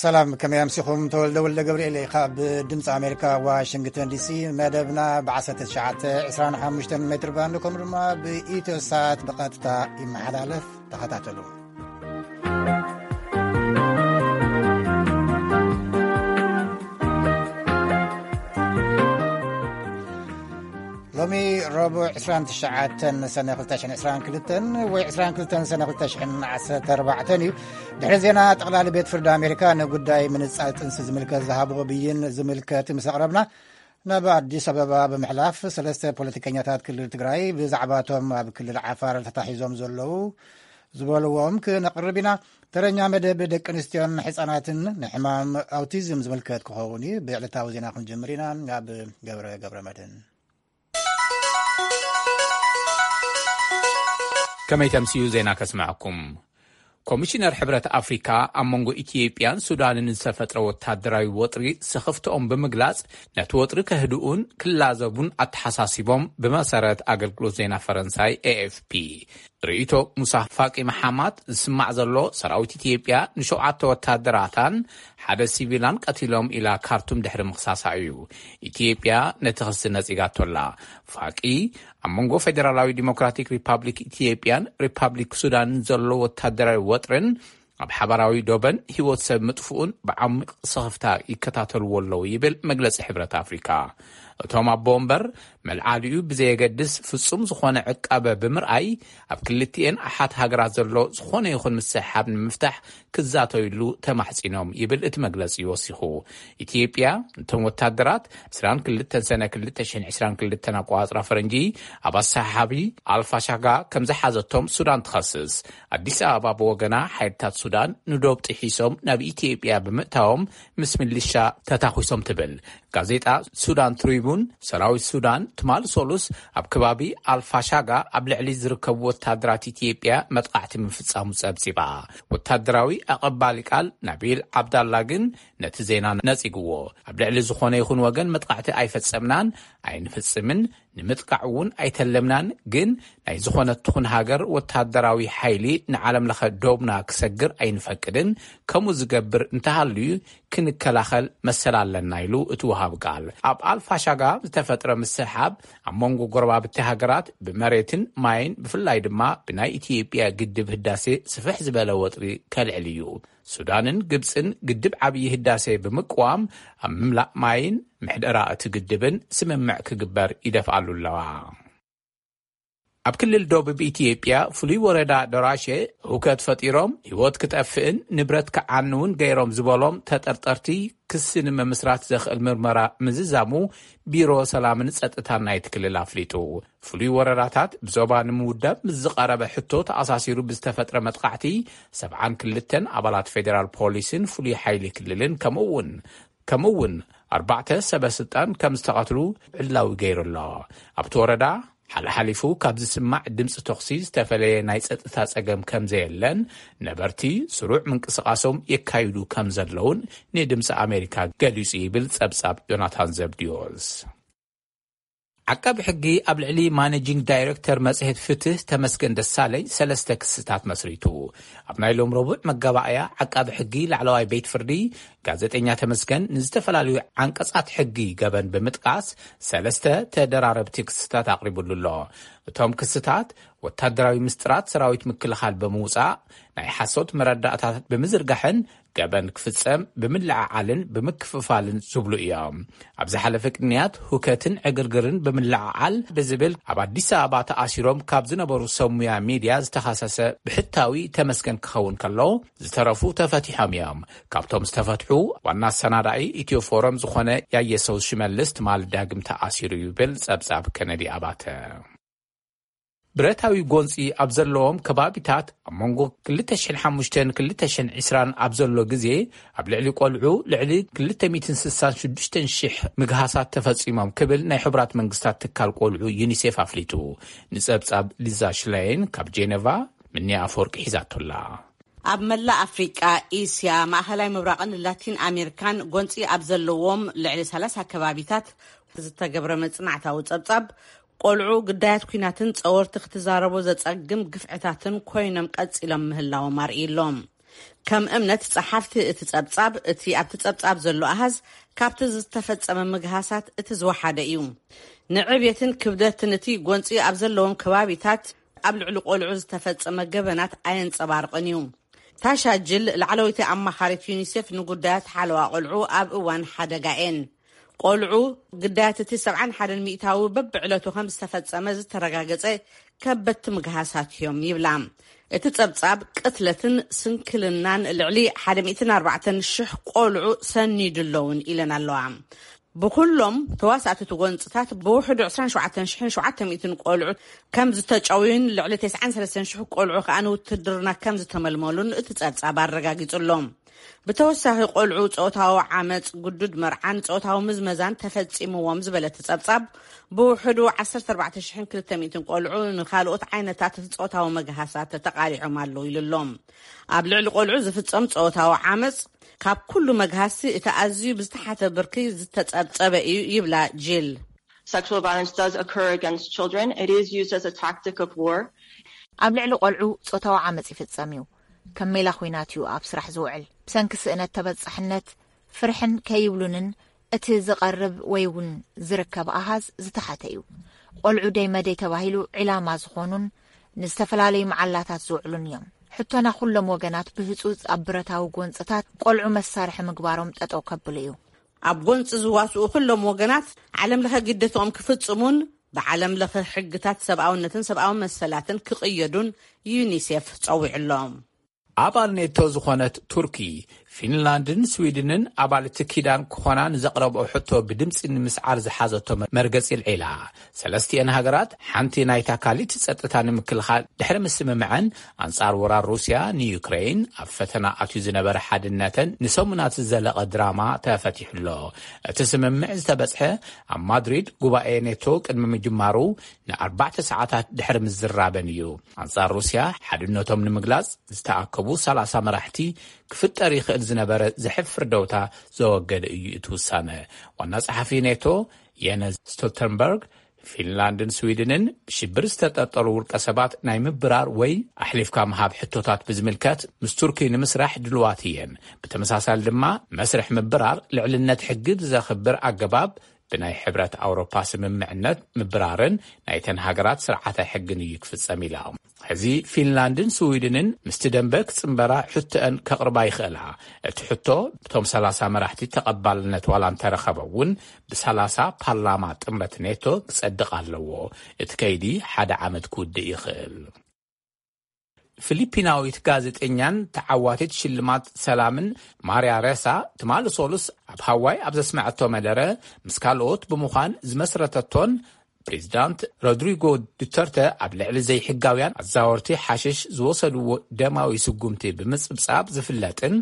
ሰላም፣ ከመይ ኣምሲኹም? ተወልደ ወልደ ገብርኤል እየ ካብ ድምፂ ኣሜሪካ ዋሽንግተን ዲሲ። መደብና ብ19፣ 25 ሜትር ባንድ ከምኡ ድማ ብኢትዮ ሳት ብቐጥታ ይመሓላለፍ። ተኸታተሉ። ሎሚ ረቡዕ 29 ሰነ 2022 ወይ 22 ሰነ 2014 እዩ። ድሕሪ ዜና፣ ጠቕላሊ ቤት ፍርዲ ኣሜሪካ ንጉዳይ ምንጻል ጥንሲ ዝምልከት ዝሃብዎ ብይን ዝምልከት ምስ ኣቕረብና፣ ናብ ኣዲስ ኣበባ ብምሕላፍ፣ ሰለስተ ፖለቲከኛታት ክልል ትግራይ ብዛዕባቶም ኣብ ክልል ዓፋር ተታሒዞም ዘለዉ ዝበልዎም ክነቕርብ ኢና። ተረኛ መደብ ደቂ ኣንስትዮን ሕፃናትን ንሕማም ኣውቲዝም ዝምልከት ክኸውን እዩ። ብዕለታዊ ዜና ክንጅምር ኢና። ናብ ገብረ ገብረ መድህን። ከመይ ተምስዩ ዜና ከስምዐኩም። ኮሚሽነር ሕብረት ኣፍሪካ ኣብ መንጎ ኢትዮጵያን ሱዳንን ዝተፈጥረ ወታደራዊ ወጥሪ ስኽፍትኦም ብምግላጽ፣ ነቲ ወጥሪ ከህድኡን ክላዘቡን ኣተሓሳሲቦም፣ ብመሰረት ኣገልግሎት ዜና ፈረንሳይ ኤኤፍፒ። ርእይቶ ሙሳ ፋቂ መሓማት ዝስማዕ ዘሎ፣ ሰራዊት ኢትዮጵያ ንሸውዓተ ወታደራታን ሓደ ሲቪላን ቀቲሎም ኢላ ካርቱም ድሕሪ ምኽሳሳ እዩ። ኢትዮጵያ ነቲ ክሲ ነጺጋቶላ። ፋቂ ኣብ መንጎ ፌደራላዊ ዲሞክራቲክ ሪፓብሊክ ኢትዮጵያን ሪፓብሊክ ሱዳንን ዘሎ ወታደራዊ ወጥርን ኣብ ሓባራዊ ዶበን ህይወት ሰብ ምጥፍኡን ብዓሚቕ ስኽፍታ ይከታተልዎ ኣለዉ ይብል መግለጺ ሕብረት ኣፍሪካ። እቶም ኣቦ ወንበር፣ መልዓሊኡ ብዘየገድስ ፍጹም ዝኾነ ዕቃበ ብምርኣይ፣ ኣብ ክልቲኤን ኣሓት ሃገራት ዘሎ ዝኾነ ይኹን ምስሕሓብ ንምፍታሕ ክዛተዩሉ ተማሕጺኖም ይብል እቲ መግለጺ ወሲኹ። ኢትዮጵያ፣ እቶም ወታደራት 22 ሰነ 2022 ኣቆጻጽራ ፈረንጂ ኣብ ኣሰሓሓቢ ኣልፋሻጋ ከም ዝሓዘቶም ሱዳን ትኸስስ። ኣዲስ ኣበባ ብወገና፣ ሓይልታት ሱዳን ንዶብ ጥሒሶም ናብ ኢትዮጵያ ብምእታዎም ምስ ሚሊሻ ተታኺሶም ትብል። ጋዜጣ ሱዳን ትሪቡን፣ ሰራዊት ሱዳን ትማሊ ሰሉስ ኣብ ከባቢ ኣልፋሻጋ ኣብ ልዕሊ ዝርከቡ ወታደራት ኢትዮጵያ መጥቃዕቲ ምፍጻሙ ጸብጺባ። ወታደራዊ ኣቐባሊ ቃል ናቢል ዓብዳላ ግን ነቲ ዜና ነጺግዎ። ኣብ ልዕሊ ዝኾነ ይኹን ወገን መጥቃዕቲ ኣይፈጸምናን ኣይንፍጽምን፣ ንምጥቃዕ እውን ኣይተለምናን፣ ግን ናይ ዝኾነት ትኹን ሃገር ወታደራዊ ሓይሊ ንዓለም ለኸ ዶብና ክሰግር ኣይንፈቅድን፣ ከምኡ ዝገብር እንተሃልዩ ክንከላኸል መሰል ኣለና ኢሉ እቲ ወሃብ ቃል። ኣብ ኣልፋሻጋ ዝተፈጥረ ምስሕሓብ ኣብ መንጎ ጎረባብቲ ሃገራት ብመሬትን ማይን፣ ብፍላይ ድማ ብናይ ኢትዮጵያ ግድብ ህዳሴ ስፍሕ ዝበለ ወጥሪ ከልዕል እዩ። ሱዳንን ግብጽን ግድብ ዓብዪ ህዳሴ ብምቅዋም ኣብ ምምላእ ማይን ምሕደራ እቲ ግድብን ስምምዕ ክግበር ይደፍኣሉ ኣለዋ። ኣብ ክልል ደቡብ ኢትዮጵያ ፍሉይ ወረዳ ደራሼ ህውከት ፈጢሮም ህይወት ክጠፍእን ንብረት ክዓንውን ገይሮም ዝበሎም ተጠርጠርቲ ክሲ ንምምስራት ዘኽእል ምርመራ ምዝዛሙ ቢሮ ሰላምን ጸጥታን ናይቲ ክልል ኣፍሊጡ። ፍሉይ ወረዳታት ብዞባ ንምውዳብ ምስ ዝቐረበ ሕቶ ተኣሳሲሩ ብዝተፈጥረ መጥቃዕቲ 72 ኣባላት ፌዴራል ፖሊስን ፍሉይ ሓይሊ ክልልን ከምኡ እውን ከምኡ እውን ኣርባዕተ ሰበ ስልጣን ከም ዝተቐትሉ ዕላዊ ገይሩ ኣሎ። ኣብቲ ወረዳ ሓልሓሊፉ ካብ ዝስማዕ ድምፂ ተኹሲ ዝተፈለየ ናይ ጸጥታ ጸገም ከም ዘየለን፣ ነበርቲ ስሩዕ ምንቅስቓሶም የካይዱ ከም ዘለውን ንድምፂ ኣሜሪካ ገሊጹ ይብል ጸብጻብ ዮናታን ዘብድዮስ። ዓቃቢ ሕጊ ኣብ ልዕሊ ማኔጂንግ ዳይሬክተር መጽሔት ፍትህ ተመስገን ደሳለኝ ሰለስተ ክስታት መስሪቱ። ኣብ ናይ ሎም ረቡዕ መጋባእያ፣ ዓቃቢ ሕጊ ላዕለዋይ ቤት ፍርዲ፣ ጋዜጠኛ ተመስገን ንዝተፈላለዩ ዓንቀጻት ሕጊ ገበን ብምጥቃስ ሰለስተ ተደራረብቲ ክስታት ኣቕሪቡሉ ኣሎ። እቶም ክስታት፣ ወታደራዊ ምስጢራት ሰራዊት ምክልኻል ብምውጻእ፣ ናይ ሓሶት መረዳእታት ብምዝርጋሕን ገበን ክፍጸም ብምልዕዓልን ብምክፍፋልን ዝብሉ እዮም። ኣብ ዝሓለፈ ቅንያት፣ ሁከትን ዕግርግርን ብምልዕዓል ብዝብል ኣብ ኣዲስ ኣበባ ተኣሲሮም ካብ ዝነበሩ ሰብ ሙያ ሚድያ ዝተኸሰሰ ብሕታዊ ተመስገን ክኸውን ከሎ፣ ዝተረፉ ተፈቲሖም እዮም። ካብቶም ዝተፈትሑ፣ ዋና ኣሰናዳኢ ኢትዮ ፎረም ዝኾነ ያየሰው ሽመልስ ትማሊ ዳግም ተኣሲሩ ይብል ጸብጻብ ከነዲ ኣባተ። ብረታዊ ጎንፂ ኣብ ዘለዎም ከባቢታት፣ ኣብ መንጎ 2005ን 2020ን ኣብ ዘሎ ግዜ፣ ኣብ ልዕሊ ቆልዑ ልዕሊ 266,000 ምግሃሳት ተፈጺሞም ክብል ናይ ሕቡራት መንግስታት ትካል ቆልዑ ዩኒሴፍ ኣፍሊጡ። ንጸብጻብ ሊዛ ሽላይን ካብ ጄኔቫ፣ ምንያ ኣፈወርቂ ሒዛቶላ። ኣብ መላእ ኣፍሪቃ፣ እስያ፣ ማእኸላይ ምብራቕን ላቲን ኣሜሪካን ጎንፂ ኣብ ዘለዎም ልዕሊ 30 ከባቢታት ዝተገብረ መጽናዕታዊ ጸብጻብ፣ ቆልዑ ግዳያት ኲናትን ጸወርቲ ክትዛረቦ ዘጸግም ግፍዕታትን ኮይኖም ቀጺሎም ምህላዎም ኣርእዩ ኣሎ። ከም እምነት ጸሓፍቲ እቲ ጸብጻብ፣ እቲ ኣብቲ ጸብጻብ ዘሎ ኣሃዝ ካብቲ ዝተፈጸመ ምግሃሳት እቲ ዝወሓደ እዩ። ንዕብየትን ክብደትን እቲ ጎንጺ ኣብ ዘለዎም ከባቢታት ኣብ ልዕሊ ቆልዑ ዝተፈጸመ ገበናት ኣየንጸባርቕን እዩ። ታሻ ጅል፣ ላዕለወይቲ ኣማኻሪት ዩኒሴፍ ንጉዳያት ሓለዋ ቆልዑ ኣብ እዋን ሓደጋ ኤን፣ ቆልዑ ግዳያት እቲ ሰብዓን ሓደን ሚእታዊ በብዕለቱ ከም ዝተፈጸመ ዝተረጋገጸ ከበድቲ ምግሃሳት እዮም ይብላ። እቲ ጸብጻብ ቅትለትን ስንክልናን ልዕሊ ሓደ ሚእትን ኣርባዕተን ሽሕ ቆልዑ ሰኒዱ ኣለውን ኢለን ኣለዋ። ብኩሎም ተዋሳእቲ እቲ ጎንጽታት ብውሕዱ ዕስራን ሸውዓተን ሽሕን ሸውዓተ ሚእትን ቆልዑ ከም ዝተጨውዩን ልዕሊ ተስዓን ሰለስተን ሽሕ ቆልዑ ከኣ ንውትድርና ከም ዝተመልመሉን እቲ ጸብጻብ ኣረጋጊጹ ኣሎ። ብተወሳኺ ቆልዑ ጾታዊ ዓመጽ፣ ግዱድ መርዓን ጾታዊ ምዝመዛን ተፈጺምዎም ዝበለ እቲ ጸብጻብ፣ ብውሕዱ ዓሰርተ ኣርባዕተ ሽሕን ክልተ ሚእትን ቆልዑ ንኻልኦት ዓይነታት ጾታዊ መግሃሳት ተቓሊዖም ኣለዉ ኢሉ ኣሎ። ኣብ ልዕሊ ቆልዑ ዝፍጸም ጾታዊ ዓመጽ ካብ ኩሉ መግሃስቲ እቲ ኣዝዩ ብዝተሓተ ብርኪ ዝተጸብጸበ እዩ ይብላ ጂል። Sexual violence does occur against children. It is used as a tactic of war. ኣብ ልዕሊ ቆልዑ ጾታዊ ዓመጽ ይፍጸም እዩ። ከም ሜላ ኹናት እዩ ኣብ ስራሕ ዝውዕል። ብሰንኪ ስእነት ተበጻሕነት፣ ፍርሕን ከይብሉንን እቲ ዝቐርብ ወይ እውን ዝርከብ ኣሃዝ ዝተሓተ እዩ። ቆልዑ ደይ መደይ ተባሂሉ ዒላማ ዝኾኑን ንዝተፈላለዩ መዓላታት ዝውዕሉን እዮም። ሕቶና ኩሎም ወገናት ብህጹጽ ኣብ ብረታዊ ጎንጽታት ቆልዑ መሳርሒ ምግባሮም ጠጠው ከብሉ እዩ። ኣብ ጎንጺ ዝዋስኡ ኩሎም ወገናት ዓለም ለኸ ግደትኦም ክፍጽሙን ብዓለም ለኸ ሕግታት ሰብኣውነትን ሰብኣዊ መሰላትን ክቕየዱን ዩኒሴፍ ጸዊዑ ኣሎ። ኣባል ኔቶ ዝኾነት ቱርኪ፣ ፊንላንድን ስዊድንን ኣባልቲ ኪዳን ክኾና ንዘቕረብኦ ሕቶ ብድምጺ ንምስዓር ዝሓዘቶ መርገጺ ልዒላ። ሰለስቲኤን ሃገራት ሓንቲ ናይታ ካሊት ጸጥታ ንምክልኻል ድሕሪ ምስምምዐን፣ ኣንጻር ወራር ሩስያ ንዩክሬን ኣብ ፈተና ኣትዩ ዝነበረ ሓድነተን ንሰሙናት ዝዘለቐ ድራማ ተፈቲሑ ኣሎ። እቲ ስምምዕ ዝተበጽሐ ኣብ ማድሪድ ጉባኤ ኔቶ ቅድሚ ምጅማሩ ንኣርባዕተ ሰዓታት ድሕሪ ምዝራበን እዩ። ኣንጻር ሩስያ ሓድነቶም ንምግላጽ ዝተኣከቡ ሰላሳ መራሕቲ ክፍጠር ይኽእል ዝነበረ ዘሕፍር ደውታ ዘወገደ እዩ እቲ ውሳነ። ዋና ጸሓፊ ኔቶ የነስ ስቶልተንበርግ፣ ፊንላንድን ስዊድንን ብሽብር ዝተጠርጠሩ ውልቀ ሰባት ናይ ምብራር ወይ ኣሕሊፍካ ምሃብ ሕቶታት ብዝምልከት ምስ ቱርኪ ንምስራሕ ድልዋት እየን። ብተመሳሳሊ ድማ መስርሕ ምብራር ልዕልነት ሕጊ ብዘኽብር ኣገባብ ብናይ ሕብረት ኣውሮፓ ስምምዕነት ምብራርን ናይተን ሃገራት ስርዓተ ሕግን እዩ ክፍጸም ኢላ። ሕዚ ፊንላንድን ስዊድንን ምስቲ ደንበ ክጽንበራ ሕቶአን ከቕርባ ይኽእላ። እቲ ሕቶ ብቶም ሰላሳ መራሕቲ ተቐባልነት ዋላ እንተረኸበ እውን ብሰላሳ ፓርላማ ጥምረት ኔቶ ክጸድቕ ኣለዎ። እቲ ከይዲ ሓደ ዓመት ክውድእ ይኽእል። ፊሊፒናዊት ጋዜጠኛን ተዓዋቲት ሽልማት ሰላምን ማርያ ሬሳ ትማሊ ሶሉስ ኣብ ሃዋይ ኣብ ዘስመዐቶ መደረ ምስ ካልኦት ብምዃን ዝመስረተቶን ፕሬዚዳንት ሮድሪጎ ዱተርተ ኣብ ልዕሊ ዘይሕጋውያን ኣዛወርቲ ሓሽሽ ዝወሰድዎ ደማዊ ስጉምቲ ብምጽብጻብ ዝፍለጥን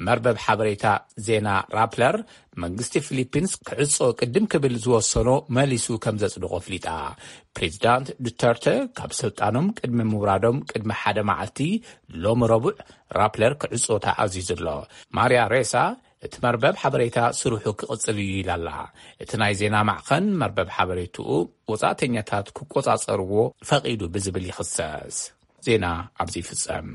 መርበብ ሓበሬታ ዜና ራፕለር መንግስቲ ፊሊፒንስ ክዕጾ ቅድም ክብል ዝወሰኖ መሊሱ ከም ዘጽድቆ ኣፍሊጣ። ፕሬዚዳንት ዱተርተ ካብ ስልጣኖም ቅድሚ ምውራዶም ቅድሚ ሓደ መዓልቲ ሎሚ ረቡዕ ራፕለር ክዕጾ ተኣዚዙ ኣሎ። ማርያ ሬሳ እቲ መርበብ ሓበሬታ ስርሑ ክቕጽል እዩ ኢላ ኣላ። እቲ ናይ ዜና ማዕኸን መርበብ ሓበሬትኡ ወጻእተኛታት ክቆጻጸርዎ ፈቒዱ ብዝብል ይኽሰስ። ዜና ኣብዚ ይፍጸም።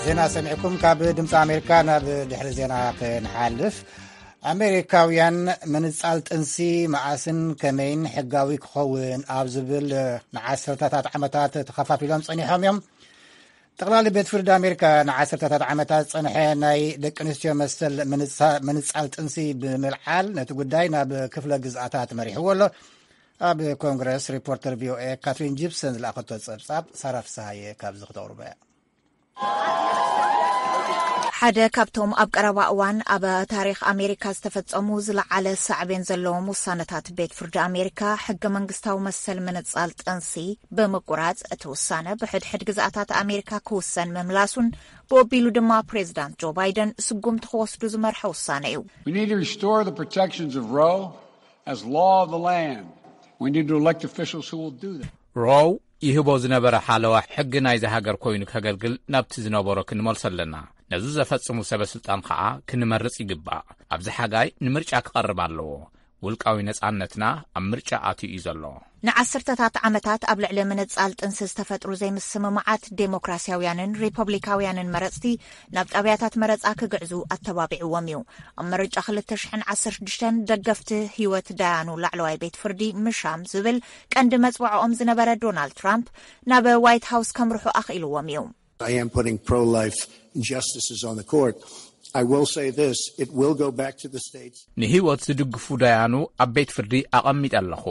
ዜና ሰሚዕኩም። ካብ ድምፂ ኣሜሪካ ናብ ድሕሪ ዜና ክንሓልፍ፣ ኣሜሪካውያን ምንጻል ጥንሲ መዓስን ከመይን ሕጋዊ ክኸውን ኣብ ዝብል ንዓሰርተታት ዓመታት ተኸፋፊሎም ጸኒሖም እዮም። ጠቕላሊ ቤት ፍርዲ ኣሜሪካ ንዓሰርተታት ዓመታት ዝጸንሐ ናይ ደቂ ኣንስትዮ መሰል ምንጻ-፣ ምንጻል ጥንሲ ብምልዓል ነቲ ጉዳይ ናብ ክፍለ ግዝኣታት መሪሕዎ ኣሎ። ኣብ ኮንግረስ ሪፖርተር ቪኦኤ ካትሪን ጂፕሰን ዝለኣኸቶ ጸብጻብ ሳራ ፍስሃየ ካብዚ ክተቕርቦ እያ። ሓደ ካብቶም ኣብ ቀረባ እዋን ኣብ ታሪኽ ኣሜሪካ ዝተፈጸሙ ዝለዓለ ሳዕቤን ዘለዎም ውሳነታት ቤት ፍርዲ ኣሜሪካ፣ ሕገ መንግስታዊ መሰል ምንጻል ጥንሲ ብምቁራጽ፣ እቲ ውሳነ ብሕድሕድ ግዝኣታት ኣሜሪካ ክውሰን ምምላሱን ብወቢሉ ድማ ፕሬዚዳንት ጆ ባይደን ስጉምቲ ክወስዱ ዝመርሐ ውሳነ እዩ። We need to restore the protections of Roe as law of the land. We need to elect officials who will do that. ሮው ይህቦ ዝነበረ ሓለዋ ሕጊ ናይዚ ሃገር ኮይኑ ከገልግል ናብቲ ዝነበሮ ክንመልሶ ኣለና። ነዚ ዘፈጽሙ ሰበ ስልጣን ኸኣ ክንመርጽ ይግባእ። ኣብዚ ሓጋይ ንምርጫ ክቐርብ ኣለዎ። ውልቃዊ ነጻነትና ኣብ ምርጫ ኣትዩ እዩ ዘሎ። ንዓሰርተታት ዓመታት ኣብ ልዕሊ ምንጻል ጥንሲ ዝተፈጥሩ ዘይምስምማዓት፣ ዴሞክራሲያውያንን ሪፐብሊካውያንን መረጽቲ ናብ ጣብያታት መረጻ ክግዕዙ ኣተባቢዕዎም እዩ። ኣብ ምርጫ ክልተ ሽሕን ዓሰርተ ሽዱሽተን ደገፍቲ ህይወት ዳያኑ ላዕለዋይ ቤት ፍርዲ ምሻም ዝብል ቀንዲ መጽውዖኦም ዝነበረ ዶናልድ ትራምፕ ናብ ዋይት ሃውስ ከምርሑ ኣኽኢልዎም እዩ። I am putting pro-life justices on the court. I will say this, it will go back to the states. ንህይወት ዝድግፉ ዳያኑ ኣብ ቤት ፍርዲ ኣቐሚጠ ኣለኹ።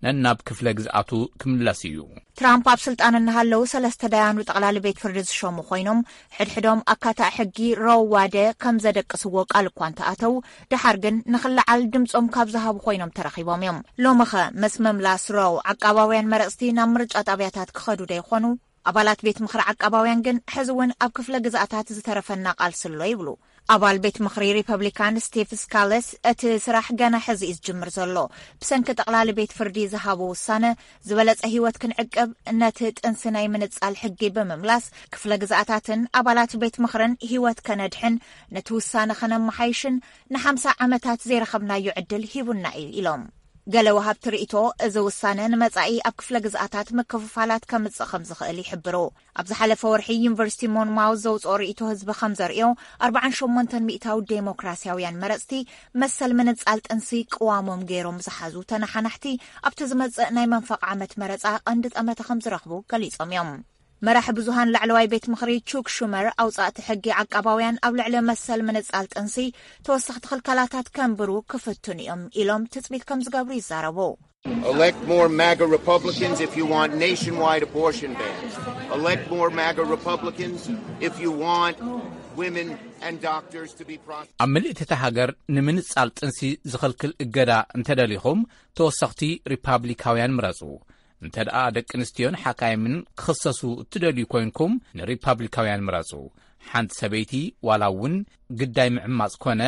ነናብ ክፍለ ግዝኣቱ ክምለስ እዩ። ትራምፕ ኣብ ስልጣን እናሃለዉ ሰለስተ ዳያኑ ጠቕላሊ ቤት ፍርዲ ዝሸሙ ኮይኖም፣ ሕድሕዶም ኣካታዕ ሕጊ ሮው ዋደ ከም ዘደቅስዎ ቃል እኳ እንተኣተዉ፣ ደሓር ግን ንኽለዓል ድምጾም ካብ ዝሃቡ ኮይኖም ተረኺቦም እዮም። ሎምኸ ምስ ምምላስ ሮው ዓቃባውያን መረጽቲ ናብ ምርጫ ጣብያታት ክኸዱ ዶ ይኾኑ? ኣባላት ቤት ምኽሪ ዓቃባውያን ግን ሕዚ እውን ኣብ ክፍለ ግዝኣታት ዝተረፈና ቃልሲ ኣሎ ይብሉ። ኣባል ቤት ምኽሪ ሪፐብሊካን ስቲቭ ስካለስ፣ እቲ ስራሕ ገና ሕዚ እዩ ዝጅምር ዘሎ። ብሰንኪ ጠቕላሊ ቤት ፍርዲ ዝሃቦ ውሳነ፣ ዝበለጸ ህይወት ክንዕቅብ፣ ነቲ ጥንሲ ናይ ምንጻል ሕጊ ብምምላስ፣ ክፍለ ግዝኣታትን ኣባላት ቤት ምኽርን ህይወት ከነድሕን፣ ነቲ ውሳነ ከነመሓይሽን ንሓምሳ ዓመታት ዘይረኸብናዮ ዕድል ሂቡና እዩ ኢሎም። ገለ ወሃብቲ ርእይቶ፣ እዚ ውሳነ ንመጻኢ ኣብ ክፍለ ግዝኣታት ምክፍፋላት ከምጽእ ከም ዝኽእል ይሕብሩ። ኣብ ዝሓለፈ ወርሒ ዩኒቨርሲቲ ሞንማውዝ ዘውጽኦ ርእይቶ ህዝቢ ከም ዘርእዮ፣ ኣርብዓን ሸሞንተን ሚእታዊ ዴሞክራሲያውያን መረጽቲ መሰል ምንጻል ጥንሲ ቅዋሞም ገይሮም ዝሓዙ ተነሓናሕቲ ኣብቲ ዝመጽእ ናይ መንፈቕ ዓመት መረጻ ቀንዲ ጠመተ ከም ዝረኽቡ ገሊጾም እዮም። መራሒ ብዙሃን ላዕለዋይ ቤት ምኽሪ ቹክ ሹመር፣ ኣውጻእቲ ሕጊ ዓቃባውያን ኣብ ልዕሊ መሰል ምንጻል ጥንሲ ተወሰኽቲ ክልከላታት ከንብሩ ክፍትኑ እዮም ኢሎም ትጽቢት ከም ዝገብሩ ይዛረቡ። Elect more MAGA Republicans if you want nationwide abortion bans. Elect more MAGA Republicans if you want women and doctors to be prosecuted. ኣብ ምልእቲ እታ ሃገር ንምንጻል ጥንሲ ዝኽልክል እገዳ እንተደሊኹም፣ ተወሰኽቲ ሪፓብሊካውያን ምረጹ። እንተ ደኣ ደቂ ኣንስትዮን ሓካይምን ክኽሰሱ እትደልዩ ኮይንኩም፣ ንሪፓብሊካውያን ምረጹ። ሓንቲ ሰበይቲ ዋላ እውን ግዳይ ምዕማጽ ኮነ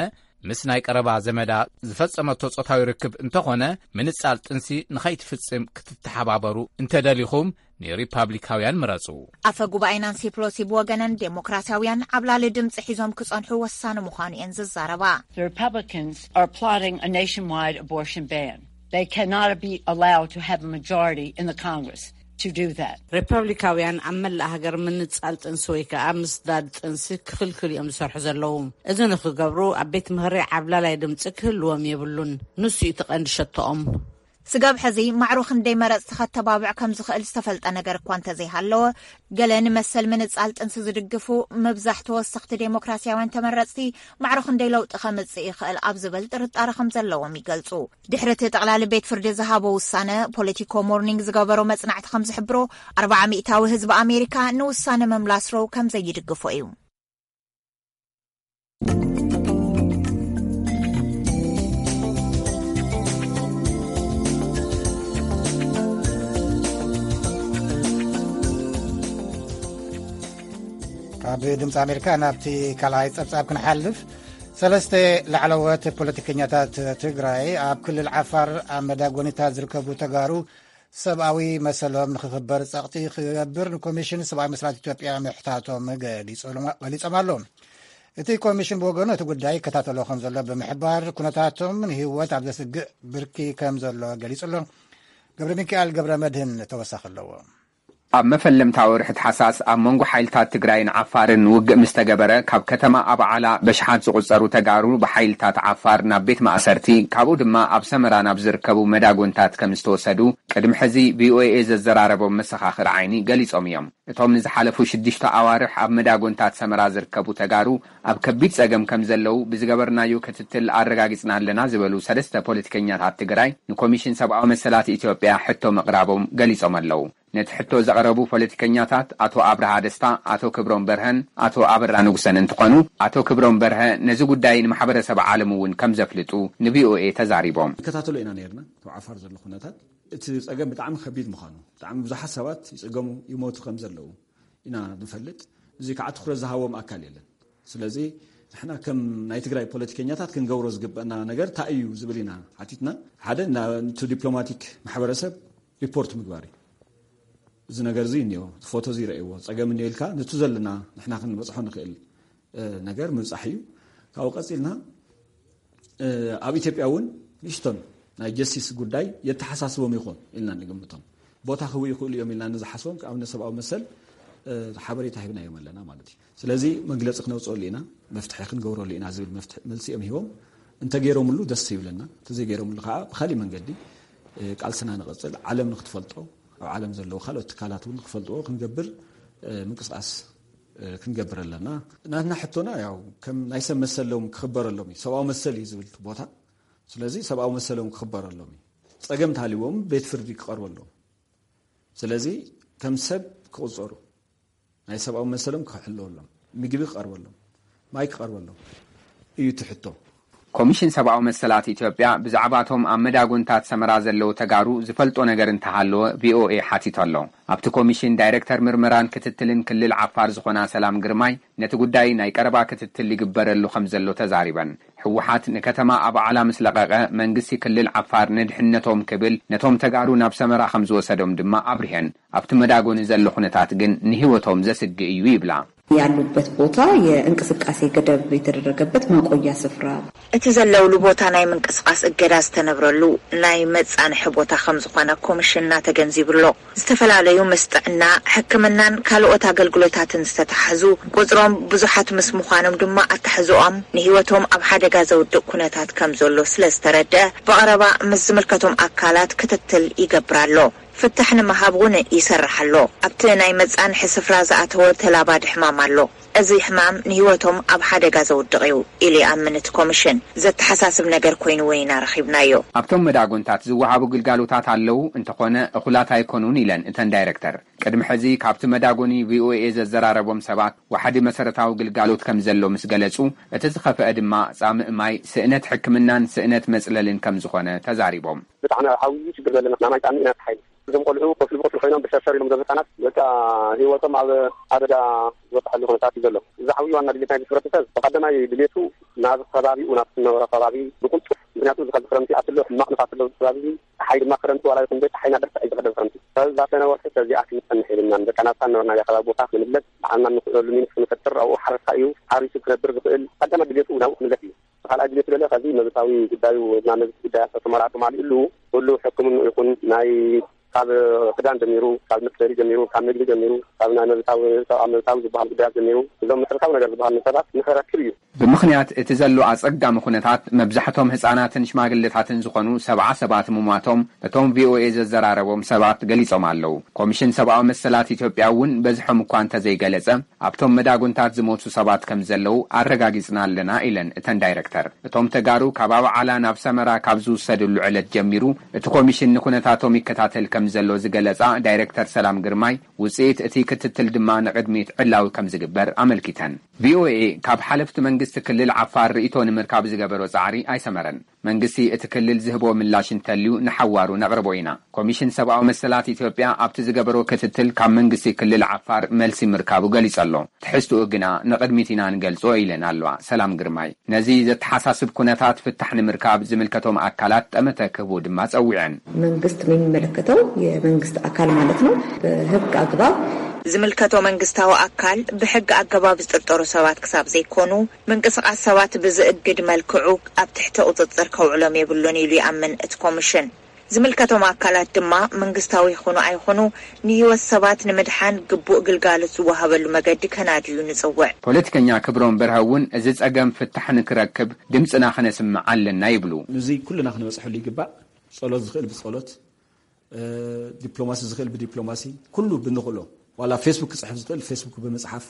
ምስ ናይ ቀረባ ዘመዳ ዝፈጸመቶ ጾታዊ ርክብ እንተኾነ፣ ምንጻል ጥንሲ ንኸይትፍጽም ክትተሓባበሩ እንተደሊኹም፣ ንሪፓብሊካውያን ምረጹ። ኣፈ ጉባኤ ናንሲ ፕሎሲ ብወገነን፣ ዴሞክራሲያውያን ዓብላሊ ድምጺ ሒዞም ክጸንሑ ወሳኒ ምዃኑ እየን ዝዛረባ። The Republicans are plotting a nationwide abortion ban. They cannot be allowed to have a majority in the Congress to do that. ሪፐብሊካውያን ኣብ መላእ ሃገር ምንጻል ጥንሲ ወይ ከኣ ምስዳድ ጥንሲ ክኽልክሉ እዮም ዝሰርሑ ዘለዉ። እዚ ንኽገብሩ ኣብ ቤት ምኽሪ ዓብላላይ ድምጺ ክህልዎም የብሉን። ንሱ እዩ እቲ ቀንዲ ሸቶኦም። ስጋብ ሕዚ ማዕሮ ክንደይ መረጽቲ ከተባብዕ ከም ዝኽእል ዝተፈልጠ ነገር እኳ እንተዘይሃለወ፣ ገለ ንመሰል ምንጻል ጥንሲ ዝድግፉ ምብዛሕ ተወሰኽቲ ዴሞክራሲያውያን ተመረጽቲ ማዕሮ ክንደይ ለውጢ ከምጽእ ይኽእል ኣብ ዝብል ጥርጣረ ከም ዘለዎም ይገልጹ። ድሕሪ እቲ ጠቕላሊ ቤት ፍርዲ ዝሃቦ ውሳነ፣ ፖለቲኮ ሞርኒንግ ዝገበሮ መጽናዕቲ ከም ዝሕብሮ፣ ኣርብዓ ሚእታዊ ህዝቢ ኣሜሪካ ንውሳነ ምምላስ ሮው ከም ዘይድግፎ እዩ። ካብ ድምፂ ኣሜሪካ ናብቲ ካልኣይ ፀብፃብ ክንሓልፍ። ሰለስተ ላዕለዎት ፖለቲከኛታት ትግራይ ኣብ ክልል ዓፋር ኣብ መዳጎኒታት ዝርከቡ ተጋሩ ሰብኣዊ መሰሎም ንክኽበር ጸቕጢ ክገብር ንኮሚሽን ሰብኣዊ መሰላት ኢትዮጵያ ምሕታቶም ገሊጾም ኣሎ። እቲ ኮሚሽን ብወገኑ እቲ ጉዳይ ይከታተሎ ከም ዘሎ ብምሕባር፣ ኩነታቶም ንህይወት ኣብ ዘስግእ ብርኪ ከም ዘሎ ገሊጹ ኣሎ። ገብረ ሚካኤል ገብረ መድህን ተወሳኺ ኣለዎ። ኣብ መፈለምታ ወርሒ ታሕሳስ ኣብ መንጎ ሓይልታት ትግራይን ዓፋርን ውግእ ምስ ተገበረ፣ ካብ ከተማ ኣባዓላ በሽሓት ዝቑጸሩ ተጋሩ ብሓይልታት ዓፋር ናብ ቤት ማእሰርቲ፣ ካብኡ ድማ ኣብ ሰመራ ናብ ዝርከቡ መዳጎንታት ከም ዝተወሰዱ፣ ቅድሚ ሕዚ ቪኦኤ ዘዘራረቦም መሰኻኽር ዓይኒ ገሊጾም እዮም። እቶም ንዝሓለፉ ሽዱሽተ ኣዋርሕ ኣብ መዳጎንታት ሰመራ ዝርከቡ ተጋሩ ኣብ ከቢድ ጸገም ከም ዘለዉ ብዝገበርናዮ ክትትል ኣረጋጊጽና ኣለና ዝበሉ ሰለስተ ፖለቲከኛታት ትግራይ ንኮሚሽን ሰብኣዊ መሰላት ኢትዮጵያ ሕቶ ምቕራቦም ገሊጾም ኣለዉ። ነቲ ሕቶ ዘቕረቡ ፖለቲከኛታት ኣቶ ኣብርሃ ደስታ፣ ኣቶ ክብሮም በርሀን ኣቶ ኣበራ ንጉሰን እንትኾኑ፣ ኣቶ ክብሮም በርሀ ነዚ ጉዳይ ንማሕበረሰብ ዓለም እውን ከም ዘፍልጡ ንቪኦኤ ተዛሪቦም። ንከታተሎ ኢና ነይርና። ኣብ ዓፋር ዘሎ ኩነታት እቲ ጸገም ብጣዕሚ ከቢድ ምዃኑ፣ ብጣዕሚ ብዙሓት ሰባት ይጽገሙ ይሞቱ ከም ዘለዉ ኢና ንፈልጥ። እዚ ከዓ ትኹረት ዝሃቦም ኣካል የለን። ስለዚ ንሕና ከም ናይ ትግራይ ፖለቲከኛታት ክንገብሮ ዝግበአና ነገር እንታይ እዩ ዝብል ኢና ሓቲትና። ሓደ፣ ነቲ ዲፕሎማቲክ ማሕበረሰብ ሪፖርት ምግባር እዩ። እዚ ነገር እዚ እኒኦ፣ እቲ ፎቶ እዚ ይረእይዎ፣ ጸገም እኒኦ ኢልካ ነቲ ዘለና ንሕና ክንበጽሖ ንኽእል ነገር ምብፃሕ እዩ። ካብኡ ቀፂልና ኣብ ኢትዮጵያ እውን ንእሽቶን ናይ ጀስቲስ ጉዳይ የተሓሳስቦም ይኾን ኢልና ንግምቶም። ቦታ ክህቡ ይኽእሉ እዮም ኢልና ንዝሓስቦም ኣብነት ሰብኣዊ መሰል ሓበሬታ ሂብናዮም ኣለና ማለት እዩ። ስለዚ መግለፂ ክነውፅኦሉ ኢና፣ መፍትሒ ክንገብረሉ ኢና ዝብል መልሲ እዮም ሂቦም። እንተገይሮምሉ ደስ ይብለና፣ እንተዘይገይሮምሉ ከዓ ብካሊእ መንገዲ ቃልስና ንቐፅል። ዓለም ንክትፈልጦ፣ ኣብ ዓለም ዘለዉ ካልኦት ትካላት እውን ክፈልጥዎ ክንገብር ምንቅስቃስ ክንገብር ኣለና። ናትና ሕቶና ያው ከም ናይ ሰብ መሰሎም ክኽበረሎም እዩ። ሰብኣዊ መሰል እዩ ዝብል ቦታ። ስለዚ ሰብኣዊ መሰሎም ክኽበረሎም እዩ። ፀገም ተሃልዎም ቤት ፍርዲ ክቐርበሎም። ስለዚ ከም ሰብ ክቕፀሩ፣ ናይ ሰብኣዊ መሰሎም ክሕለወሎም፣ ምግቢ ክቐርበሎም፣ ማይ ክቐርበሎም እዩ ትሕቶ። ኮሚሽን ሰብኣዊ መሰላት ኢትዮጵያ ብዛዕባቶም ኣብ መዳጎንታት ሰመራ ዘለዉ ተጋሩ ዝፈልጦ ነገር እንተሃለወ ቪኦኤ ሓቲቶ ኣሎ። ኣብቲ ኮሚሽን ዳይረክተር ምርመራን ክትትልን ክልል ዓፋር ዝኾና ሰላም ግርማይ ነቲ ጉዳይ ናይ ቀረባ ክትትል ይግበረሉ ከም ዘሎ ተዛሪበን። ህወሓት ንከተማ ኣባዓላ ምስ ለቐቐ መንግስቲ ክልል ዓፋር ንድሕነቶም ክብል ነቶም ተጋሩ ናብ ሰመራ ከም ዝወሰዶም ድማ ኣብሪሀን። ኣብቲ መዳጎኒ ዘሎ ኩነታት ግን ንህይወቶም ዘስግእ እዩ ይብላ። ያሉበት ቦታ የእንቅስቃሴ ገደብ የተደረገበት ማቆያ ስፍራ። እቲ ዘለውሉ ቦታ ናይ ምንቅስቃስ እገዳ ዝተነብረሉ ናይ መጻንሒ ቦታ ከም ዝኾነ ኮሚሽንና ተገንዚቡ ኣሎ። ዝተፈላለዩ ምስ ጥዕና፣ ሕክምናን ካልኦት ኣገልግሎታትን ዝተተሓዙ ቁጽሮም ብዙሓት ምስ ምዃኖም ድማ ኣተሓሕዝኦም ንህይወቶም ኣብ ሓደጋ ዘውድቕ ኩነታት ከም ዘሎ ስለ ዝተረድአ ብቐረባ ምስ ዝምልከቶም ኣካላት ክትትል ይገብር ኣሎ። ፍታሕ ንምሃብ እውን ይሰርሕ ኣሎ። ኣብቲ ናይ መጻንሒ ስፍራ ዝኣተወ ተላባዲ ሕማም ኣሎ። እዚ ሕማም ንህይወቶም ኣብ ሓደጋ ዘውድቕ እዩ ኢሉ ይኣምን እቲ ኮሚሽን። ዘተሓሳስብ ነገር ኮይኑ እውን ኢና ረኺብናዮ። ኣብቶም መዳጎንታት ዝወሃቡ ግልጋሎታት ኣለዉ፣ እንተኾነ እኹላት ኣይኮኑን ኢለን እተን ዳይረክተር። ቅድሚ ሕዚ ካብቲ መዳጎኒ ቪኦኤ ዘዘራረቦም ሰባት ዋሕዲ መሰረታዊ ግልጋሎት ከም ዘሎ ምስ ገለጹ፣ እቲ ዝኸፍአ ድማ ጻምእ ማይ፣ ስእነት ሕክምናን ስእነት መጽለልን ከም ዝኾነ ተዛሪቦም። ብጣዕሚ ኣብ ሓዊ ሽግር ዘለና ናይ ማይ ጻምእ ኢና ተሓይሉ። እዞም ቆልዑ ኮፍሊ ብኮፍሊ ኮይኖም ብሸርሸር ኢሎም እዞም ህፃናት በቃ ህይወቶም ኣብ ሓደጋ ዝበፅሐሉ ኩነታት እዩ ዘሎ። እዚ ዓብዪ ዋና ድሌት ናይ ህብረተሰብ ብቀዳማይ ድሌቱ ናብ ከባቢኡ ናብ ዝነበሮ ከባቢ ብቁልጡፍ፣ ምክንያቱ እዚ ከዚ ክረምቲ ኣትሎ ሕማቕ ንፋስ ኣለዎ እዚ ከባቢ። ፀሓይ ድማ ክረምቲ ዋላ ይኹን ደይ ፀሓይና ደርሰ እዩ ዝቐደም ክረምቲ። ከዚ ዛሰነ ወርሒ ከዚኣ ክንፀንሕ የብልናን። በቃ ናብታ ነበርናዮ ከባቢ ቦታ ክንምለስ ባዕልና እንኽእለሉ ሚንስ ክንፈጥር ኣብኡ ሓረስታ እዩ ሓሪሱ ክነብር ዝኽእል። ቀዳማይ ድሌቱ ናብኡ ክምለስ እዩ። ካልኣይ ድሌት ደለ ከዚ መብታዊ ጉዳዩ ናብ መብት ጉዳይ ኣቶ ተመራጡ ማሊእሉ ኩሉ ሕክምንኡ ይኹን ናይ ካብ ክዳን ጀሚሩ ካብ መፅለሊ ጀሚሩ ካብ ምግቢ ጀሚሩ ካብ ናይ መብታዊ ሰብኣዊ መብታዊ ዝበሃል ጉዳያት ጀሚሩ እዞም መሰረታዊ ነገር ዝበሃል ንሰባት ንክረክብ እዩ። ብምኽንያት እቲ ዘሎ ኣፀጋሚ ኩነታት መብዛሕቶም ህፃናትን ሽማግለታትን ዝኾኑ ሰብዓ ሰባት ምሟቶም እቶም ቪኦኤ ዘዘራረቦም ሰባት ገሊፆም ኣለዉ። ኮሚሽን ሰብኣዊ መሰላት ኢትዮጵያ እውን በዝሖም እኳ እንተዘይገለፀ ኣብቶም መዳጉንታት ዝሞቱ ሰባት ከም ዘለዉ ኣረጋጊጽና ኣለና ኢለን እተን ዳይረክተር። እቶም ተጋሩ ካብ ኣባዓላ ናብ ሰመራ ካብ ዝውሰድሉ ዕለት ጀሚሩ እቲ ኮሚሽን ንኩነታቶም ይከታተል ከም ዘሎ ዝገለጻ ዳይረክተር ሰላም ግርማይ ውጽኢት እቲ ክትትል ድማ ንቕድሚት ዕላዊ ከም ዝግበር ኣመልኪተን። ቪኦኤ ካብ ሓለፍቲ መንግስቲ ክልል ዓፋር ርእይቶ ንምርካብ ዝገበሮ ጻዕሪ ኣይሰመረን። መንግስቲ እቲ ክልል ዝህቦ ምላሽ እንተልዩ ንሓዋሩ ነቕርቦ ኢና። ኮሚሽን ሰብኣዊ መሰላት ኢትዮጵያ ኣብቲ ዝገበሮ ክትትል ካብ መንግስቲ ክልል ዓፋር መልሲ ምርካቡ ገሊጹ ኣሎ። ትሕዝትኡ ግና ንቕድሚት ኢና ንገልጾ ኢለን ኣለዋ ሰላም ግርማይ። ነዚ ዘተሓሳስብ ኩነታት ፍታሕ ንምርካብ ዝምልከቶም ኣካላት ጠመተ ክህቡ ድማ ጸዊዐን። መንግስት የሚመለከተው የመንግስት አካል ማለት ነው። በህግ አግባብ ዝምልከቶ መንግስታዊ ኣካል ብሕጊ ኣገባብ ዝጥርጠሩ ሰባት ክሳብ ዘይኮኑ ምንቅስቃስ ሰባት ብዝእግድ መልክዑ ኣብ ትሕቲ ቁፅፅር ከውዕሎም የብሉን ኢሉ ይኣምን እቲ ኮሚሽን። ዝምልከቶም ኣካላት ድማ መንግስታዊ ይኹኑ ኣይኹኑ ንህይወት ሰባት ንምድሓን ግቡእ ግልጋሎት ዝወሃበሉ መገዲ ከናድዩ ንፅውዕ። ፖለቲከኛ ክብሮም በርሀ እውን እዚ ፀገም ፍታሕ ንክረክብ ድምፅና ክነስምዕ ኣለና ይብሉ። ንዙይ ኩልና ክንበፅሐሉ ይግባእ። ፀሎት ዝኽእል ብፀሎት፣ ዲፕሎማሲ ዝኽእል ብዲፕሎማሲ፣ ኩሉ ብንኽእሎ ዋላ ፌስቡክ ክፅሕፍ ዝኽእል ፌስቡክ ብምፅሓፍ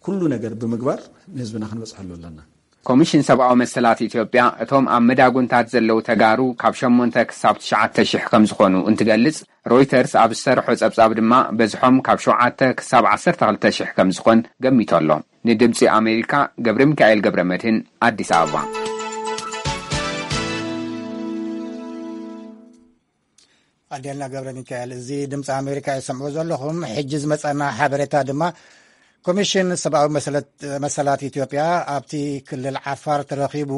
ኩሉ ነገር ብምግባር ንህዝብና ክንበፅሐሉ ኣለና። ኮሚሽን ሰብኣዊ መሰላት ኢትዮጵያ እቶም ኣብ መዳጉንታት ዘለዉ ተጋሩ ካብ ሸሞንተ ክሳብ ትሽዓተ ሽሕ ከም ዝኾኑ እንትገልጽ፣ ሮይተርስ ኣብ ዝሰርሖ ጸብጻብ ድማ በዝሖም ካብ ሸውዓተ ክሳብ ዓሰርተ ክልተ ሽሕ ከም ዝኾን ገሚቱ ኣሎ። ንድምጺ ኣሜሪካ ገብረ ሚካኤል ገብረ መድህን ኣዲስ ኣበባ። ኣዴልና ገብረ ሚካኤል። እዚ ድምፂ ኣሜሪካ ይሰምዑ ዘለኹም። ሕጂ ዝመፀና ሓበሬታ ድማ ኮሚሽን ሰብኣዊ መሰላት ኢትዮጵያ ኣብቲ ክልል ዓፋር ተረኺቡ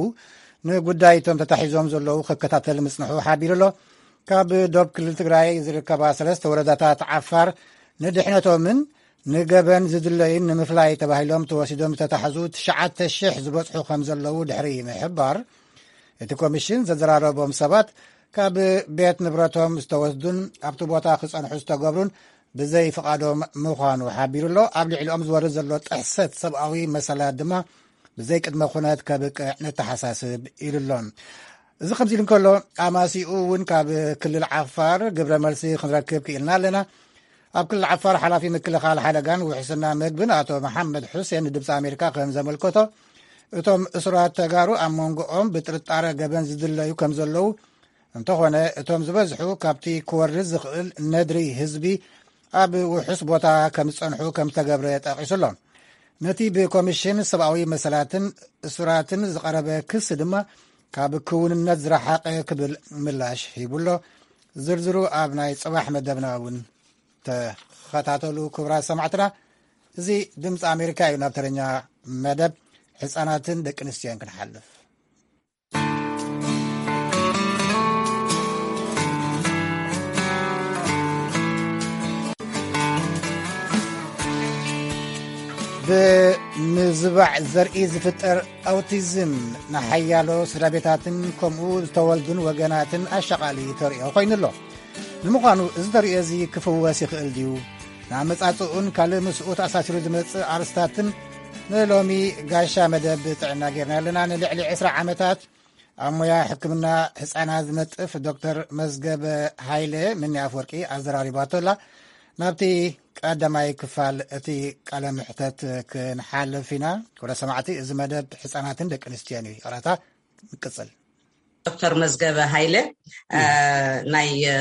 ንጉዳይ እቶም ተታሒዞም ዘለዉ ክከታተል ምፅንሑ ሓቢሩ ኣሎ። ካብ ዶብ ክልል ትግራይ ዝርከባ ሰለስተ ወረዳታት ዓፋር ንድሕነቶምን ንገበን ዝድለዩን ንምፍላይ ተባሂሎም ተወሲዶም ዝተታሕዙ ትሽዓተ ሽሕ ዝበጽሑ ከም ዘለዉ ድሕሪ ምሕባር፣ እቲ ኮሚሽን ዘዘራረቦም ሰባት ካብ ቤት ንብረቶም ዝተወስዱን ኣብቲ ቦታ ክጸንሑ ዝተገብሩን ብዘይ ፍቓዶም ምዃኑ ሓቢሩ ኣሎ። ኣብ ልዕሊኦም ዝወርድ ዘሎ ጥሕሰት ሰብኣዊ መሰላት ድማ ብዘይ ቅድመ ኩነት ከብቅዕ ነተሓሳስብ ኢሉ ኣሎ። እዚ ከምዚ ኢሉ እንከሎ፣ ኣማሲኡ እውን ካብ ክልል ዓፋር ግብረ መልሲ ክንረክብ ክኢልና ኣለና። ኣብ ክልል ዓፋር ሓላፊ ምክልኻል ሓደጋን ውሕስና መግብን ኣቶ መሓመድ ሑሴን ንድምፂ ኣሜሪካ ከም ዘመልከቶ፣ እቶም እሱራት ተጋሩ ኣብ መንጎኦም ብጥርጣረ ገበን ዝድለዩ ከም ዘለዉ፣ እንተኾነ እቶም ዝበዝሑ ካብቲ ክወርድ ዝኽእል ነድሪ ህዝቢ ኣብ ውሑስ ቦታ ከም ዝጸንሑ ከም ዝተገብረ ጠቒሱ ኣሎ። ነቲ ብኮሚሽን ሰብኣዊ መሰላትን እሱራትን ዝቐረበ ክሲ ድማ ካብ ክውንነት ዝረሓቐ ክብል ምላሽ ሂቡ ኣሎ። ዝርዝሩ ኣብ ናይ ጽባሕ መደብና እውን ተኸታተሉ። ክቡራት ሰማዕትና፣ እዚ ድምፂ ኣሜሪካ እዩ። ናብ ተረኛ መደብ ህፃናትን ደቂ ኣንስትዮን ክንሓልፍ። ብምዝባዕ ዘርኢ ዝፍጠር ኣውቲዝም ንሓያሎ ስድራ ቤታትን ከምኡ ዝተወልዱን ወገናትን ኣሻቓሊ ተርእዮ ኮይኑ ኣሎ። ንምዃኑ እዚ ተርእዮ እዚ ክፍወስ ይኽእል ድዩ? ንኣመጻጽኡን ካልእ ምስኡ ተኣሳሲሩ ዝመጽእ ኣርስታትን ንሎሚ ጋሻ መደብ ጥዕና ጌርና ኣለና። ንልዕሊ ዕስራ ዓመታት ኣብ ሞያ ሕክምና ህጻናት ዝነጥፍ ዶክተር መዝገበ ሃይለ ምኒ ኣፍወርቂ ኣዘራሪባቶ ኣላ። ናብቲ ቀዳማይ ክፋል እቲ ቃለ ምሕተት ክንሓልፍ ኢና። ክቡራት ሰማዕቲ፣ እዚ መደብ ህጻናትን ደቂ ኣንስትዮን እዩ። ይቕረታ፣ ንቅጽል። ዶክተር መዝገበ ሃይለ፣ እ፣ ናይ፣ እ፣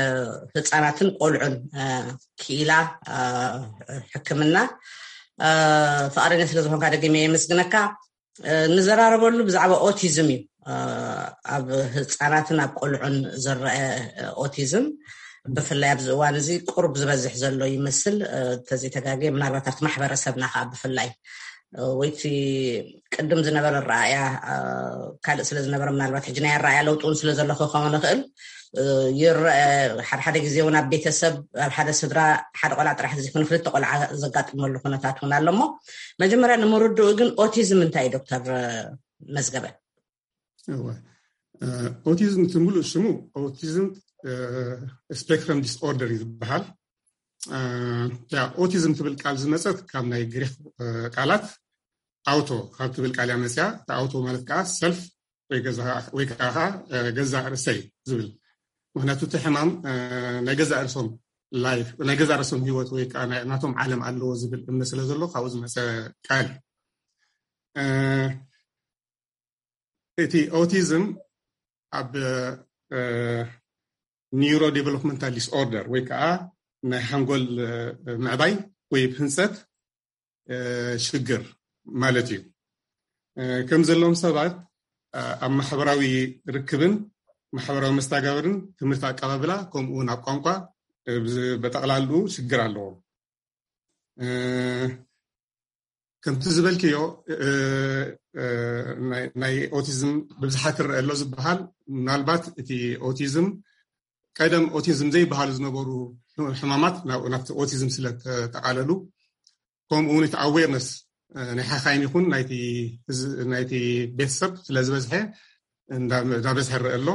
ህጻናትን ቆልዑን፣ እ፣ ክኢላ፣ እ፣ ሕክምና፣ እ፣ ፍቓደኛ ስለ ዝኾንካ ደጊመ የመስግነካ። እ፣ ንዘራረበሉ ብዛዕባ ኦቲዝም እዩ። እ፣ ኣብ ህጻናትን ኣብ ቆልዑን ዝረአ፣ እ፣ ኦቲዝም ብፍላይ ኣብዚ እዋን እዚ ቁሩብ ዝበዝሕ ዘሎ ይመስል። እ፣ እንተዘይተጋግየ ምናልባት ኣብቲ ማሕበረሰብና ከዓ ብፍላይ፣ እ፣ ወይቲ ቅድም ዝነበረ ኣረኣእያ፣ እ፣ ካልእ ስለ ዝነበረ ምናልባት ሕጂ ናይ ኣረኣእያ ለውጢ እውን ስለ ዘሎ ክኸውን ይኽእል። እ፣ ይረአ፣ ሓደ ሓደ ግዜ እውን ኣብ ቤተሰብ፣ ኣብ ሓደ ስድራ ሓደ ቆልዓ ጥራሕ ዘይኮነ ክልተ ቆልዓ ዘጋጥመሉ ኩነታት እውን ኣሎ። እሞ መጀመርያ ንምርድኡ ግን ኦቲዝም እንታይ እዩ ዶክተር መዝገበ? እወ፣ እ፣ ኦቲዝም እቲ ሙሉእ ሽሙ ኦቲዝም፣ እ፣ ስፔክትረም ዲስኦርደር እዩ ዝበሃል። እ፣ ያ ኦቲዝም ትብል ቃል ዝመጸት ካብ ናይ ግሪክ፣ እ፣ ቃላት ኣውቶ ካብ ትብል ቃል እያ መጽያ። እቲ ኣውቶ ማለት ከዓ ሰልፍ ወይ ገዛ ወይ ከዓ፣ እ፣ ገዛ ርእሰይ ዝብል። ምኽንያቱ እቲ ሕማም፣ እ፣ ናይ ገዛ ርእሶም ላይፍ፣ ናይ ገዛ ርእሶም ህይወት ወይ ከዓ ናይ፣ ናቶም ዓለም ኣለዎ ዝብል እምነት ስለ ዘሎ ካብኡ ዝመጸ ቃል እዩ። እ፣ እቲ ኦቲዝም ኣብ፣ እ፣ ኒውሮ ዴቨሎፕመንታል ዲስኦርደር ወይ ከዓ ናይ ሓንጎል፣ እ፣ ምዕባይ ወይ ህንፀት፣ እ፣ ሽግር ማለት እዩ። እ፣ ከም ዘለዎም ሰባት፣ እ፣ ኣብ ማሕበራዊ ርክብን ማሕበራዊ መስተጋብርን ትምህርቲ ኣቀባብላ ከምኡ እውን ኣብ ቋንቋ፣ እ፣ ብዝ-፣ በጠቕላልኡ ሽግር ኣለዎም። እ፣ ከምቲ ዝበልክዮ፣ እ፣ እ፣ ናይ፣ ናይ ኦቲዝም ብብዝሓ ክረአ ኣሎ ዝበሃል፣ ምናልባት እቲ ኦቲዝም ቀደም ኦቲዝም ዘይበሃሉ ዝነበሩ ሕማማት ናብ፣ ናብቲ ኦቲዝም ስለ ተጠቓለሉ፣ ከምኡ እውን እቲ ኣዌርነስ፣ እ፣ ናይ ሓኻይም ይኹን ናይቲ ህዝ-፣ ናይቲ ቤተሰብ ስለ ዝበዝሐ እንዳ-፣ እንዳበዝሐ ይረአ ኣሎ።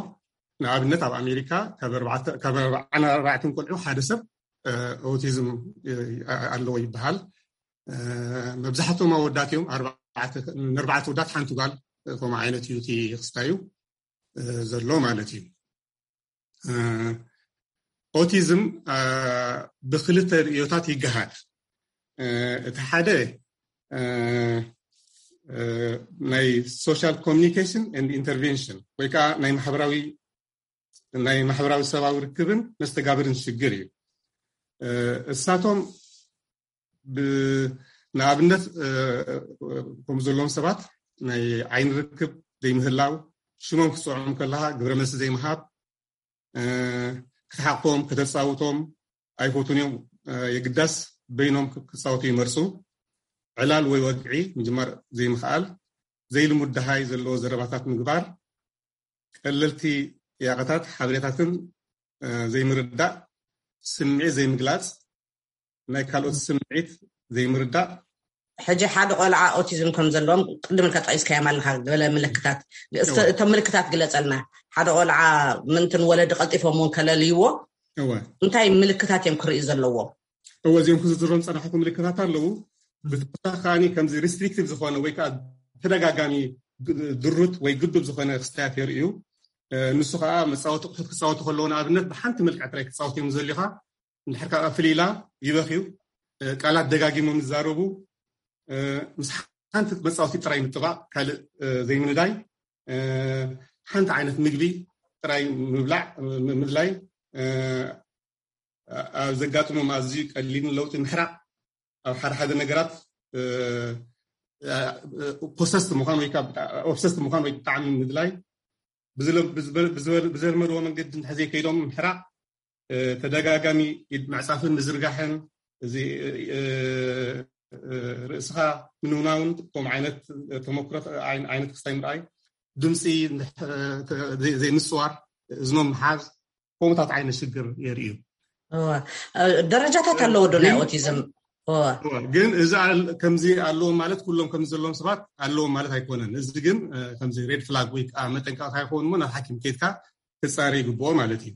ንኣብነት ኣብ ኣሜሪካ ካብ ኣርባዕተ-፣ ካብ ኣርባዓን ኣርባዕተን ቆልዑ ሓደ ሰብ፣ እ፣ ኦቲዝም፣ እ፣ ኣለዎ ይበሃል። እ፣ መብዛሕትኦም ኣወዳት እዮም። ኣርባዕተ፣ ንኣርባዕተ ወዳት ሓንቲ ጓል፣ እ፣ ከምኡ ዓይነት እዩ እቲ ክስታዩ፣ እ፣ ዘሎ ማለት እዩ። እ፣ ኦቲዝም፣ እ፣ ብክልተ ርእዮታት ይገሃድ። እ፣ እቲ ሓደ፣ እ፣ እ፣ ናይ ሶሻል ኮሚኒኬሽን ኤንድ ኢንተርቬንሽን ወይ ከዓ ናይ ማሕበራዊ፣ ናይ ማሕበራዊ ሰብኣዊ ርክብን መስተጋብርን ሽግር እዩ። እ፣ እሳቶም ብ-፣ ንኣብነት፣ እ፣ ከም ዘለዎም ሰባት ናይ ዓይኒ ርክብ ዘይምህላው፣ ሽሞም ክትፅውዖም ከለኻ ግብረ መልሲ ዘይምሃብ፣ እ፣ ክትሓቆም፣ ከተጻውቶም ኣይፈቱን እዮም። እ፣ የግዳስ በይኖም ክ-፣ ክጻወቱ ይመርጹ። ዕላል ወይ ወግዒ ምጅማር ዘይምኽኣል፣ ዘይልሙድ ደሃይ ዘለዎ ዘረባታት ምግባር፣ ቀለልቲ ያቐታት ሓበሬታትን፣ እ፣ ዘይምርዳእ፣ ስምዒት ዘይምግላጽ፣ ናይ ካልኦት ስምዒት ዘይምርዳእ። ሕጂ ሓደ ቆልዓ ኦቲዝም ከም ዘለዎም ቅድም ኢልካ ጠቂስካዮም ኣለካ፣ ገለ ምልክታት። እስከ እቶም ምልክታት ግለጸልና። ሓደ ቆልዓ ምንትን ወለዲ ቀልጢፎም እውን ከለልይዎ፣ እንታይ ምልክታት እዮም ክርእዩ ዘለዎ? እወ፣ እዚኦም ክዝርዝሮም ዝጸናሕኩ ምልክታት ኣለዉ። ብተወሳኺ ከዓኒ ከምዚ ሪስትሪክቲቭ ዝኾነ ወይ ከዓ ተደጋጋሚ ግ- ድሩት ወይ ግዱብ ዝኾነ ክስታያት የርእዩ። ንሱ ከዓ መፃወቲ ኣቑሑት ክፃወቱ ከለዉ፣ ንኣብነት ብሓንቲ መልክዕ ጥራይ ክፃወት እዮም ዘልዩኻ። እንድሕር ከዓ ፍልይላ ይበኽዩ። ቃላት ደጋጊሞም ይዛረቡ። ምስ ሓንቲ መፃወቲ ጥራይ ምጥባቕ፣ ካልእ ዘይምንዳይ። ሓንቲ ዓይነት ምግቢ ጥራይ ምብላዕ፣ ምድላይ። ኣብ ዘጋጥሞም ኣዝዩ ቀሊልን ለውጢ ምሕራቕ። ኣብ ሓደ ሓደ ነገራት ፖሰስት ምዃን ወይ ኦብሰስት ምዃን ወይ ብጣዕሚ ምድላይ። ብዝለመድዎ መንገዲ እንተዘይከይዶም ምሕራቕ። ተደጋጋሚ ኢድ ምዕፃፍን ምዝርጋሕን፣ እዚ ርእስኻ ምንውናውን፣ ከም ዓይነት ተመክሮ ዓይነት ክስታይ ምርኣይ፣ ድምፂ ዘይምፅዋር፣ እዝኖም ምሓዝ፣ ከምኡታት ዓይነት ሽግር የርእዩ። ደረጃታት ኣለዎ ዶ ናይ ኦቲዝም? ግን እዚ ከምዚ ኣለዎም ማለት ኩሎም ከምዚ ዘለዎም ሰባት ኣለዎም ማለት ኣይኮነን። እዚ ግን ከምዚ ሬድ ፍላግ ወይ ከዓ መጠንቀቕታ ይኸውን እሞ ናብ ሓኪም ኬድካ ክፃረ ይግብኦ ማለት እዩ።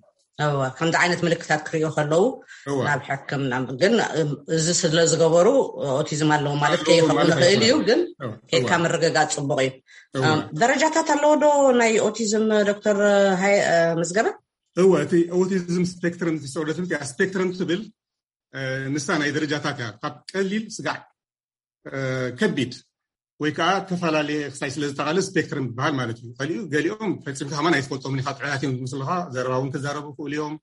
ከምዚ ዓይነት ምልክታት ክርእዩ ከለዉ ናብ ሕክምና። ግን እዚ ስለ ዝገበሩ ኦቲዝም ኣለዎም ማለት ከይኸውን ይኽእል እዩ። ግን ኬድካ ምርግጋፅ ፅቡቕ እዩ። ደረጃታት ኣለዎ ዶ ናይ ኦቲዝም ዶክተር መዝገበ? እወ፣ እቲ ኦቲዝም ስፔክትረም ዲስኦርደር ትብል እያ። ስፔክትረም ትብል ንሳ ናይ ደረጃታት እያ። ካብ ቀሊል ስጋዕ ከቢድ ወይ ከዓ ተፈላለየ ክሳይ ስለ ዝተቓለስ ስፔክትረም ዝበሃል ማለት እዩ። ከሊኡ ገሊኦም ፈፂምካ ከማን ኣይትፈልጦምን ኢኻ። ጥዑያት እዮም ዝመስሉኻ። ዘረባ እውን ክዛረቡ ይኽእሉ እዮም።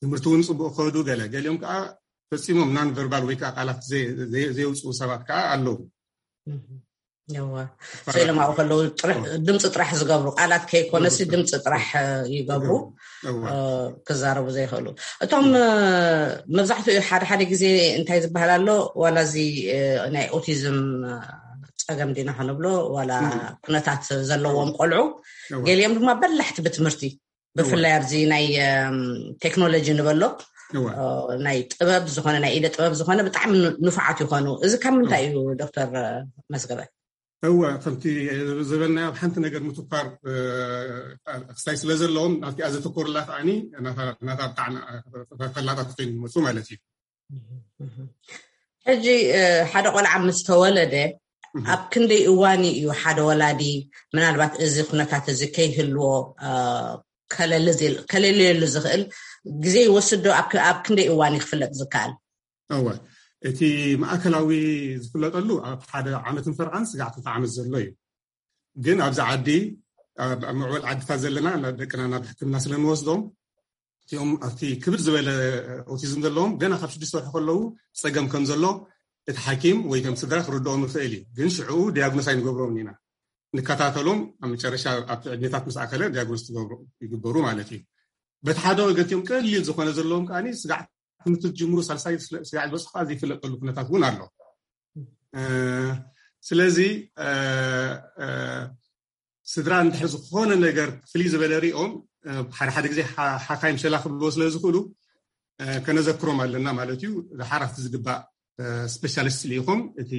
ትምህርቲ እውን ፅቡቅ ከዱ። ገለ ገሊኦም ከዓ ፈፂሞም ናን ቨርባል ወይ ከዓ ቃላት ዘየውፅኡ ሰባት ከዓ ኣለዉ። ስኢሎም ኣብኡ ከለዉ ድምፂ ጥራሕ ዝገብሩ፣ ቃላት ከይኮነሲ ድምፂ ጥራሕ ይገብሩ፣ ክዛረቡ ዘይኽእሉ። እቶም መብዛሕትኡ ሓደ ሓደ ግዜ እንታይ ዝበሃል ኣሎ፣ ዋላ እዚ ናይ ኦቲዝም ፀገም ዲና ክንብሎ ዋላ ኩነታት ዘለዎም ቆልዑ፣ ገሊኦም ድማ በላሕቲ ብትምህርቲ፣ ብፍላይ ኣብዚ ናይ ቴክኖሎጂ ንበሎ ናይ ጥበብ ዝኾነ ናይ ኢደ ጥበብ ዝኾነ ብጣዕሚ ንፉዓት ይኾኑ። እዚ ካብ ምንታይ እዩ ዶክተር መስገበ? እወ፣ ከምቲ ዝበልናዮ ኣብ ሓንቲ ነገር ምትኳር ክስታይ ስለ ዘለዎም ናብቲኣ ዘተኮርላ ከዓኒ ናታ ብጣዕሚ ፈላጣት ኮይኑ ይመፁ ማለት እዩ። ሕጂ ሓደ ቆልዓ ምስ ተወለደ ኣብ ክንደይ እዋን እዩ ሓደ ወላዲ ምናልባት እዚ ኩነታት እዚ ከይህልዎ ከለልየሉ ዝኽእል ግዜ ይወስድ ዶ? ኣብ ክንደይ እዋን እዩ ክፍለጥ ዝከኣል? እወ፣ እቲ ማእከላዊ ዝፍለጠሉ ኣብ ሓደ ዓመትን ፈርቓን ስጋዕ ክልተ ዓመት ዘሎ እዩ። ግን ኣብዚ ዓዲ ኣብ ምዕበል ዓድታት ዘለና ደቅና ናብ ሕክምና ስለ ንወስዶም እቲኦም ኣብቲ ክብድ ዝበለ ኦቲዝም ዘለዎም ገና ካብ ሽዱሽተ ወርሒ ከለዉ ፀገም ከም ዘሎ እቲ ሓኪም ወይ ከም ስድራ ክርድኦም ይኽእል እዩ። ግን ሽዕኡ ዲያግኖስ ኣይንገብሮም ኢና። ንከታተሎም ኣብ መጨረሻ ኣብቲ ዕድሜታት ምስ ኣከለ ዲያግኖስ ይግበሩ ማለት እዩ። በቲ ሓደ ወገን እቲኦም ቀሊል ዝኾነ ዘለዎም ከዓኒ ስጋዕ ትምህርቲ ዝጅምሩ ሳልሳይ ስጋዕ ዝበፅሑ ከዓ ዘይፍለጠሉ ኩነታት እውን ኣሎ። ስለዚ ስድራ እንድሕር ዝኾነ ነገር ፍልይ ዝበለ ሪኦም ሓደ ሓደ ግዜ ሓካይም ሸላ ክብልዎ ስለ ዝኽእሉ ከነዘክሮም ኣለና ማለት እዩ። ዝሓራፍቲ ዝግባእ ስፔሻሊስት ልኢኹም እቲ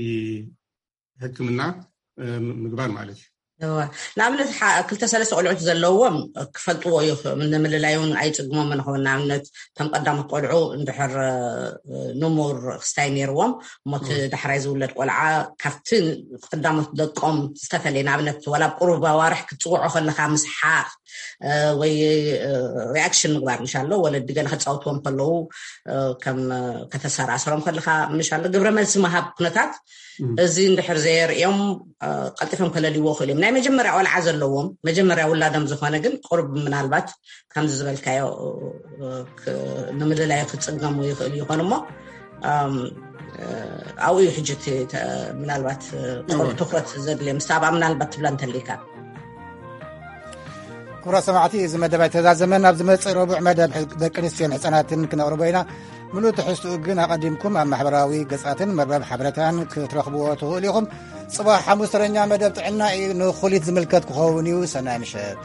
ሕክምና ምግባር ማለት እዩ። ንኣብነት ክልተ ሰለስተ ቆልዑት ዘለዎም ክፈልጥዎ እዩ። ንምልላይ እውን ኣይፅግሞም ንኸውን። ንኣብነት ከም ቀዳሞት ቆልዑ እንድሕር ንሙር ክስታይ ነይርዎም እሞቲ ዳሕራይ ዝውለድ ቆልዓ ካብቲ ቀዳሞት ደቆም ዝተፈለየ፣ ንኣብነት ዋላ ቁሩብ ኣዋርሕ ክትፅውዖ ከለካ ምስሓቅ ወይ ሪኣክሽን ምግባር ምሽ ኣሎ። ወለዲ ገለ ከፃውትዎም ከለዉ ከም ከተሰራስሮም ከለካ ምሽ ኣሎ ግብረ መልሲ መሃብ ኩነታት እዚ እንድሕር ዘየርእዮም ቀልጢፎም ከለልይዎ ክእሉ እዮም። ናይ መጀመርያ ቆልዓ ዘለዎም መጀመርያ ውላዶም ዝኾነ ግን ቁርብ ምናልባት ከምዚ ዝበልካዮ ንምልላዩ ክፅገሙ ይኽእሉ ይኾኑ እሞ ኣብኡ እዩ ሕጂ ምናልባት ትኩረት ዘድልዮ ምስ ኣብኣ ምናልባት ትብላ እንተሊካ። ክቡራት ሰማዕቲ፣ እዚ መደብ ኣይተዛዘመን። ኣብ ዝመፅእ ረቡዕ መደብ ደቂ ኣንስትዮን ህፃናትን ክነቕርቦ ኢና። ምሉእ ትሕዝትኡ ግን ኣቐዲምኩም ኣብ ማሕበራዊ ገጻትን መርበብ ሓበሬታን ክትረኽብዎ ትኽእሉ ኢኹም። ጽባሕ ሓሙስ ተረኛ መደብ ጥዕና እዩ። ንኹሊት ዝምልከት ክኸውን እዩ። ሰናይ ምሸት።